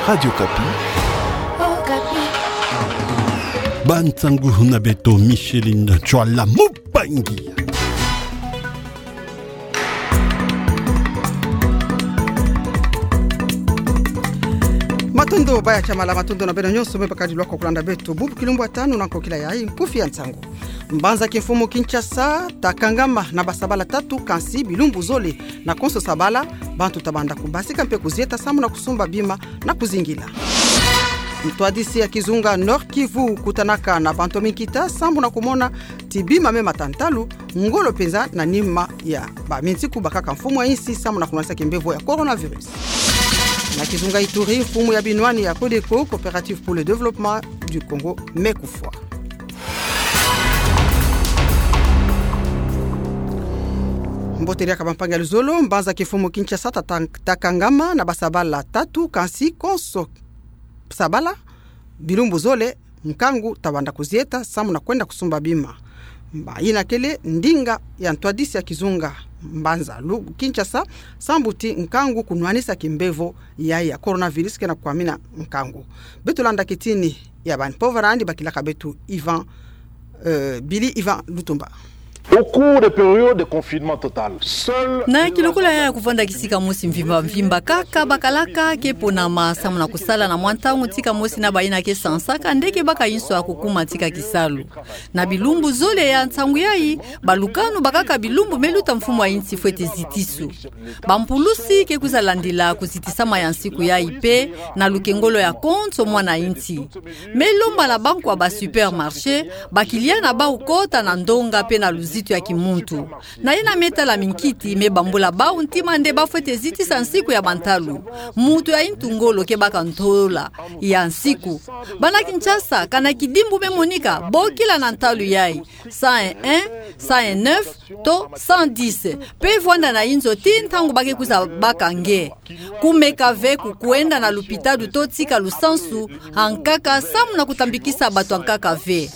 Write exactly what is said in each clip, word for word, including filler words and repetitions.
Radio Okapi. Okapi. Ba nsangu na beto Micheline Tshuala Mupangi. Matondo, baya tiamala, matondo na beno nyonso me bakadi lwaka kulanda beto. Bubu kilumbu ya tanu na nkokila ya inkufi ya nsangu. Mbanza kimfumu Kinshasa takangama na basabala tatu, kansi bilumbu zole na konso sabala, bantu tabanda kubasika mpe kuzieta samu na kusumba bima na kuzingila. Ntwadisi ya kizunga Nord-Kivu kutanaka na bantu ya minkita samu na kumona ti bima me mata ntalu, ngolo mpenza na nima ya baminsiku bakaka mfumu ya insi samu na kunwanisa kimbevo ya coronavirus. Na kizunga Ituri, mfumu ya binwani ya CODECO, Coopérative pour le Développement du Congo, me kufwa. Mbote diaka bampangi ya luzolo. Mbanza kimfumu Kinshasa tata-, takangama na basabala tatu, kansi konso sabala, bilumbu zole, nkangu tabanda kuzieta samu na kwenda kusumba bima. Mba ina kele ndinga ya ntwadisi ya kizunga mbanza lu Kinshasa, sambu ti nkangu kunwanisa kimbevo ya, ya coronavirus ke na kwamina nkangu. Beto landa kitini ya bani mpova nandi bakilaka beto Ivan, euh, Billy Ivan Lutumba. Au cours des périodes de confinement total, seul... Na kilokola ya kuvanda kisika mosi mvimba mvimba kaka, bakalaka ke ponama samu na kusala na mwa ntangu tika mosi na baina ke sansaka ndeke baka inso ya kukuma tika kisalu. Na bilumbu zole ya nsangu yai, balukanu bakaka bilumbu me luta mfumu ya insi fwete zitisu. Bampulusi ke kwiza landila kuzitisama ya nsiku yai mpe na lukengolo ya konso mwana insi. Me lomba na bankwa ba supermarché, bakiliya na bau kota na ndonga mpe na luzitu ya kimuntu. Na yina me tala minkiti me bambula bau ntima nde bafwete zitisa nsiku ya bantalu. Muntu ya intu ngolo ke baka ntola ya nsiku. Bana Kinshasa, kana kidimbu me monika, bokila na ntalu yai, cent et un, cent et neuf, to cent dix. Mpe vwanda na inzo ti ntangu ba ke kwiza baka nge. Kumeka ve ku kwenda na lupitalu to tika lusansu, ankaka samu na kutambikisa bato ankaka ve.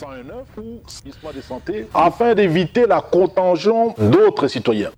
Afin d'éviter la contagion d'autres citoyens.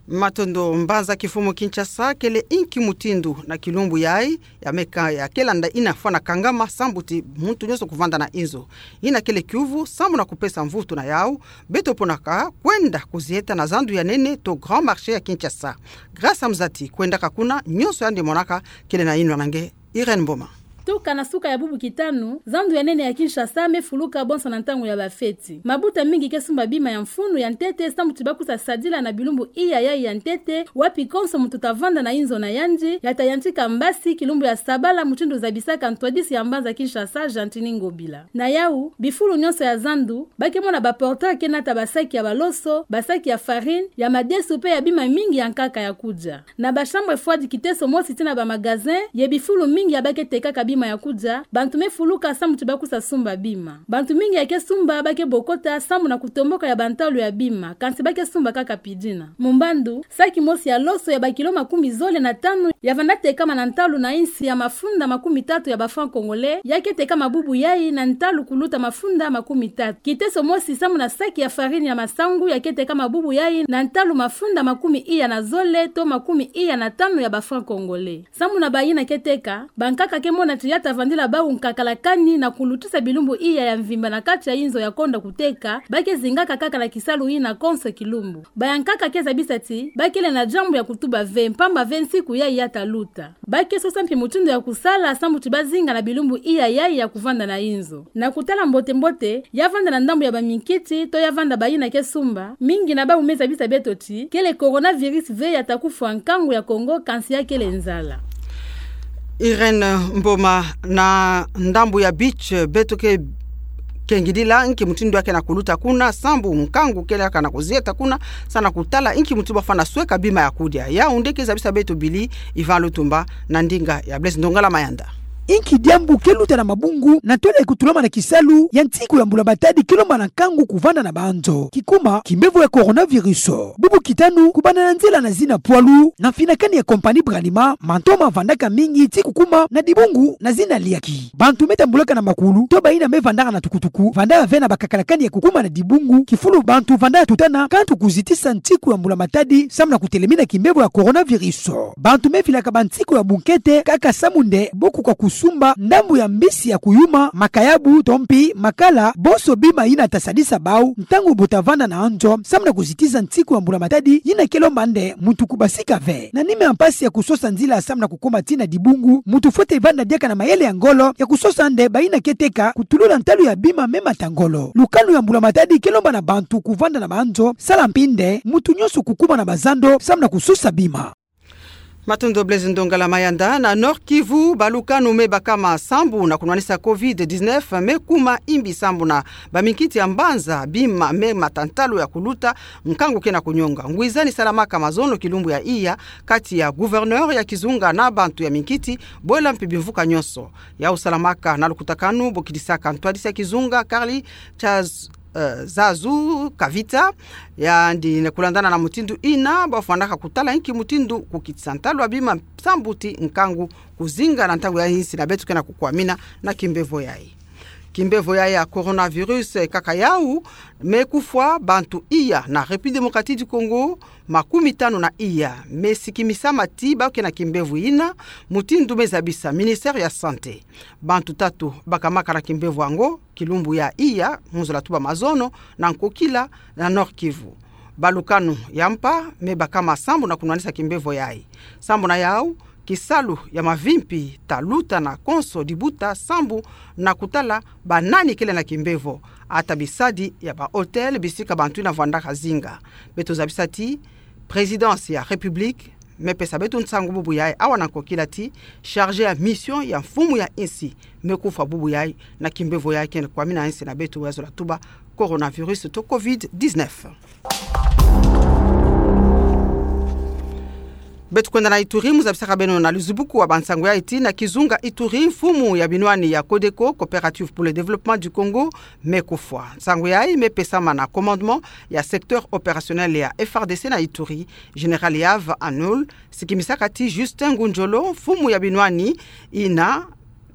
Matondo. Mbanza kimfumu Kinshasa kele inki mutindu na kilumbu yai, ya meka ya ke landa ina fwana kangama sambu ti muntu nyonso kuvanda na inzo. Ina kele kiuvu samu na kupesa mvutu na yau, beto ponaka kwenda kuzieta na zandu ya nene to Grand Marché ya Kinshasa. Grâce Mzati kwendaka kuna, nyonso yandi monaka kele na inwa na nge. Irène Mboma. Tuka na suka ya bubu kitanu, zandu ya nene ya Kinshasa me fuluka bonso na ntangu ya bafeti. Mabuta mingi ke sumba bima ya mfunu ya ntete sambu ti ba kwiza sadila na bilumbu iya yai ya ntete, wapi konso muntu ta vanda na inzo na yandi, ya ta yantika mbasi kilumbu ya sabala, mutindu zabisaka ntwadisi ya mbanza Kinshasa, Gentiny Ngobila. Na yau, bifulu nyonso ya zandu, ba ke mona ba porteurs ke nata basaki ya baloso, basaki ya farine, ya madesu mpe ya bima mingi ya nkaka ya kudia. Na ba chambres froides kiteso mosi tii na ba magasins, ye bifulu mingi ya ba ke tekaka bima ya kudia, bantu me fuluka sambu ti ba kwiza sumba bima. Bantu mingi ya ke sumba ba ke bokota sambu na kutomboka ya bantalu ya bima, kansi ba ke sumba kaka pidina. Mumbandu, saki mosi ya loso ya ba kilo makumi zole na tanu ya vanda tekama na ntalu na insi ya mafunda makumi tatu ya ba francs congolais, ya ke tekama bubu yai na ntalu kuluta mafunda makumi tatu. Kiteso mosi samu na saki ya farine ya masangu ya ke tekama bubu yai na ntalu mafunda makumi iya na zole to makumi iya na tanu ya ba francs congolais. Samu na bayina ke teka, bankaka ke mona ti ya ta vandila bau nkaka la kani na kulutisa bilumbu iya ya mvimba na kati ya inzo ya konda kuteka, ba ke zingaka kaka na kisalu yina konso kilumbu. Bayankaka ke zabisa ti ba kele na diambu ya kutuba ve, mpamba ve nsiku yai ya ta luta. Ba ke sosa mpi mutindu ya kusala sambu ti ba zinga na bilumbu iya yai ya kuvanda na inzo. Na kutala mbote-mbote, ya vanda na ndambu ya baminkiti to ya vanda bayina ke sumba, mingi na bau me zabisa beto ti kele coronavirus ve ya ta kufwa nkangu ya Congo, kansi ya kele nzala. Irène Mboma. Na ndambu ya beach, beto ke kengidila nki mutindu ya ke na kuluta kuna, sambu nkangu kele ya ke na kuzieta kuna, sa na kutala nki mutindu ba fwana sweka bima ya kudia. Yaoundé ke zabisa beto Billy Ivan Lutumba na ndinga ya Blaise Ndongala Mayanda. Inki diambu ke luta na mabungu na ntwala ya kutulama na kisalu ya nsiku ya mbula matadi ke lomba na nkangu kuvanda na banzo kikuma kimbevo ya coronavirus. Bubu kitanu, kubanda na nzila na zina pwalu na mfinakani ya compagnie Bralima, mantoma vandaka mingi ti kukuma na dibungu na zina liaki. Bantu me tambulaka na makulu to bayina me vandaka na tukutuku vandaka ve na bakakalakani ya kukuma na dibungu kifulu bantu vandaka tutana kantu kuzitisa nsiku ya mbula matadi samu na kutelemina kimbevo ya coronavirus. Bantu me filaka bansiku ya bunkete kaka samu nde bo kukwa kusumba ndambu ya mbisi ya kuyuma, makayabu, tompi, makala, bonso bima yina ta sadisa bau ntangu bo ta vanda na nzo samu na kuzitisa nsiku ya mbula matadi yina ke lomba nde muntu kubasika ve. Na nima ya mpasi ya kusosa nzila samu na kukuma tii na dibungu, muntu fwete vanda diaka na mayele ya ngolo ya kusosa nde bayina ke teka kutulula ntalu ya bima me mata ngolo. Lukanu ya mbula matadi ke lomba na bantu kuvanda na banzo, sala mpi nde muntu nyonso kukuma na bazando samu na kusosa bima. Matondo Blaise Ndongala Mayanda. Na Nord-Kivu, balukanu me bakama sambu na kunwanisa covid dix-neuf me kuma imbi samu na baminkiti ya mbanza bima me mata ntalu ya kuluta, nkangu ke na kunyonga. Ngwizani salamaka mazono kilumbu ya iya kati ya gouverneur ya kizunga na bantu ya minkiti, bwela mpi bimvuka nyonso. Yau salamaka na lukutakanu bo kidisaka ntwadisi ya kizunga Karli Chaz eh, Zazu Kavita, yandi ne kulandana na mutindu ina, bafwanaka kutala inki mutindu kukitisa ntalu ya bima sambu ti nkangu kuzinga na ntangu ya insi na beto ke na kukwamina na kimbevo yayi. Kimbevo yayi ya coronavirus, eh, kaka yau, me kufwa bantu iya na République Démocratique du Congo, makumi tanu na iya, me sikimisama ti bau ke na kimbevo ina, mutindu me zabisa Ministère ya Santé. Bantu tatu bakamaka na kimbevo yango, kilumbu ya iya, mu nzolo ya tuba mazono, na nkokila, na Nord-Kivu. Balukanu ya mpa, me bakama sambu na kunwanisa kimbevo yayi. Sambu na yau, kisalu ya mavimpi ta luta na konso dibuta sambu na kutala banani kele na kimbevo. Ata bisadi ya ba hôtel, bisika bantu ina vwandaka zinga. Beto zabisa ti, Présidence ya République, me pesa beto nsangu bubu yayi awa na nkokila ti, chargé ya mission ya mfumu ya insi, me kufwa bubu yayi, na kimbevo yayi ke na kwamina insi na beto ya nzolo ya tuba coronavirus to covid dix-neuf. Beto kwenda na Ituri, mu zabisaka beno na luzubuku wa bansangu yayi ti na kizunga Ituri, mfumu ya binwani ya CODECO, Coopérative pour le Développement du Congo, me kufwa. Nsangu yayi me pesama na commandement ya secteur opérationnel ya F R D C na Ituri, Général Yave Anul, sikimisaka ti Justin Ngunjolo, mfumu ya binwani ina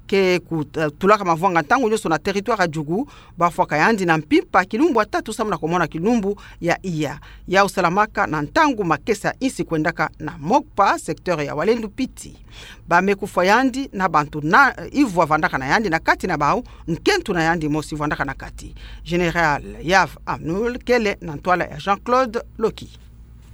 ke ku-, eh, tulaka mavwanga ntangu nyonso na territoire ya Djugu, bafwaka yandi na mpimpa kilumbu ya tatu samu na kumona kilumbu ya iya. Yau salamaka na ntangu makesa insi kwendaka na Mokpa, secteur ya Walendu Piti. Ba me kufwa yandi na bantu na, eh, ivwa vandaka na yandi na kati na bau, nkento na yandi mosi vandaka na kati. Général Yave Anul kele na ntwala ya Jean-Claude Loki.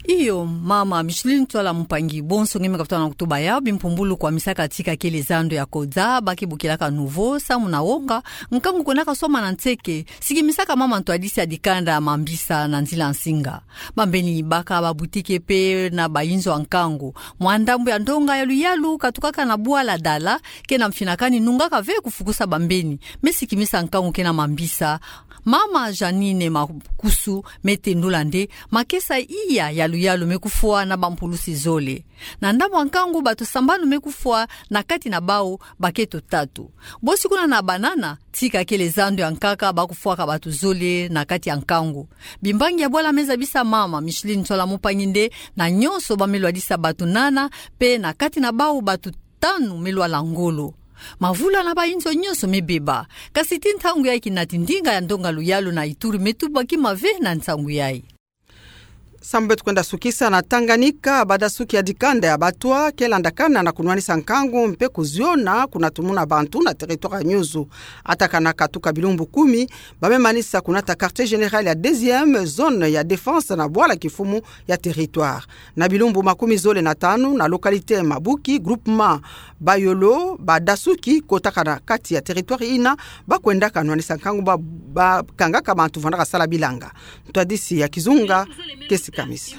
Iyo, mama Micheline Ntwala Mpangi, bonso nge me katuka na kutuba ya bimpumbulu kwa misaka tika kele zando ya koza, ba ke bukilaka nouveau, samu na wonga, nkangu kwendaka soma na nseke, sikimisaka mama ntwadisi ya dikanda ya mambisa na nzila nsinga. Bambeni baka ba boutique pe na ba inzo ya nkangu. Mwa ndambu ya ndonga ya luyalu katukaka na bwala Dala, ke na mfinakani nungaka ve kufukusa bambeni, me sikimisa nkangu ke na mambisa. Mama Janine Makusu me tendula nde, makesa iya ya luyalu me kufwa na bampulusi zole. Na ndambu ya nkangu bato sambanu me kufwa na kati na bau bakento tatu. Bosi kuna na Banana, tika kele zando ya nkaka ba kufwaka bato zole na kati ya nkangu. Bimbangi ya bwala me zabisa mama Micheline Ntwala Mpangi nde, na nyonso ba me lwadisa bato nana, pe na kati na bau bato tanu me lwala ngolo. Mavula na ba inzo nyonso me beba. Kasi ti ntangu yayi kinati ndinga ya ndonga luyalu na Ituri me tuba kima ve na nsangu yayi. Sambu beto kwenda sukisa na Tanganyika, badasuki ya dikanda ya Batwa ke landakana na kunwanisa nkangu mpe kuziona kuna tumuna bantu na territoire ya Nyuzu. Atakana katuka bilumbu kumi, ba me manisa kunata quartier général ya deuxième zone ya défense na bwala kifumu ya territoire. Na bilumbu makumi zole na tanu na localité Mabuki, groupement Bayolo, badasuki kotaka na kati ya territoire ina, ba kwendaka nwanisa nkangu ba, ba kangaka bantu vandaka sala bilanga. Ntwadisi ya kizunga ke si-, Kamisa.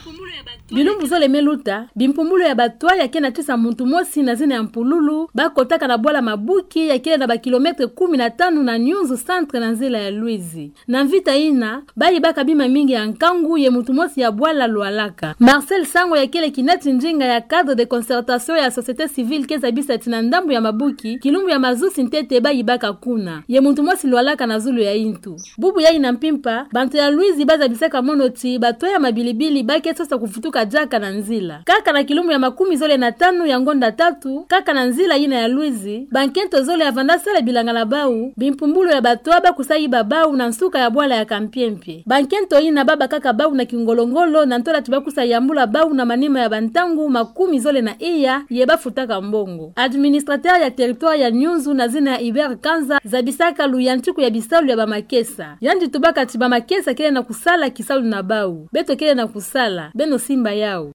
Bilumbu zole me luta, bimpumbulu ya batoit ya kena tisa muntu mosi na zina ya Mpululu, bakotaka na bwala Mabuki, ya kele na ba kilomètre kumi na tanu na Nyunzu centre na nzila ya Luizi. Na mvita ina, bayibaka bima mingi ya nkangu ye muntu mosi ya bwala lwalaka. Marcel Sango ya kele kinati ndinga ya cadre de concertation ya société civile ke zabisa ti na ndambu ya Mabuki, kilumbu ya mazusi ntete bayibaka kuna. Ye muntu mosi lwalaka na zulu ya intu. Bubu yayi na mpimpa, bantu ya Luizi bazabisaka mono ti batoit ya mabilibili ba ke sosa kufutuka diaka na nzila. Kaka na kilumbu ya makumi zole na tanu ya ngonda tatu, kaka na nzila ina ya Luizi, bankento zole ya vanda sala bilanga na bau, bimpumbulu ya batoit bakusa yiba bau na nsuka ya bwala ya Kampiempie. Bankento ina babakaka bau na kingolo-ngolo na ntola ti bakusa yambula bau na manima ya bantangu makumi zole na iya, ye bafutaka mbongo. Administrateur ya territoire ya Nyunzu na zina ya Hubert Kanza zabisaka luyantiku ya bisalu ya bamakesa. Yandi tubaka ti bamakesa kele na kusala kisalu na bau. Beto kele na kusala, beno simba yau.